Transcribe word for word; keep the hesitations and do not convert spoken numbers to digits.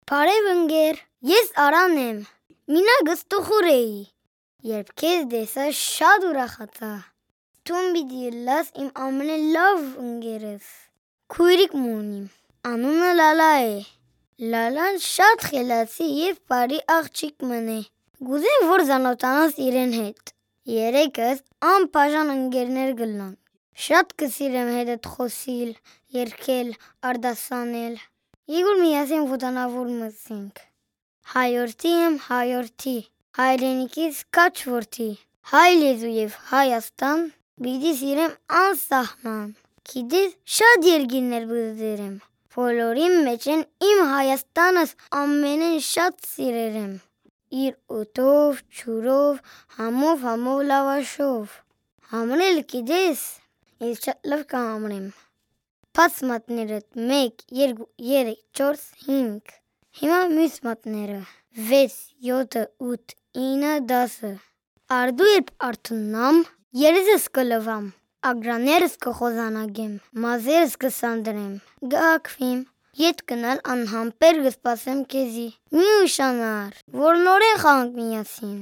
Բարև ընկեր, ես Արան եմ։ Մինակ ստուխուր էի, երբ քեզ տեսայ շատ ուրախացայ։ Դուն պիտի ըլլաս իմ ամենէն լաւ ընկերս։ Քոյրիկ մը ունիմ, անունը Լալա է։ Լալան շատ խելացի եւ բարի աղջիկ մըն է։ Կ'ուզեմ որ ծանօթանաս իրեն հետ։ Երեքս անբաժան ընկերներ կ'ըլլանք։ Շատ կը սիրեմ հետդ խօսիլ, երգել, արտասանել։ Եկուր միասին ոտանաւոր մտցինք։ Հայորդի եմ, հայորդի, հայրենիքիս քաջ որդի, հայ լեզու եւ Հայաստան պիտի սիրեմ անսահման։ Գիտես, շատ երկիրներ պիտի դերեմ, բոլորին մէջէն իմ Հայաստանս ամենէն շատ սիրեր եմ։ Իր օդով, ջուրով, համով, համով լաւաշով։ Համրել գիտես, ես շատ լաւ կը համրեմ։ Բաց մատներդ, մէկ, երկու, երեք, չորս, հինգ։ Հիմա միւս մատները, վեց, յոթը, ութ, ինը, դասը։ Արդու երբ արթննամ, երեսս կը լուամ, ակրաներս կը խոզանակեմ, մազերս կը սանրեմ, կը հագուիմ, ետ գնալ անհամբեր կը սպասեմ քեզի։ Մի ուշանար, որ նորէն խաղանք միասին։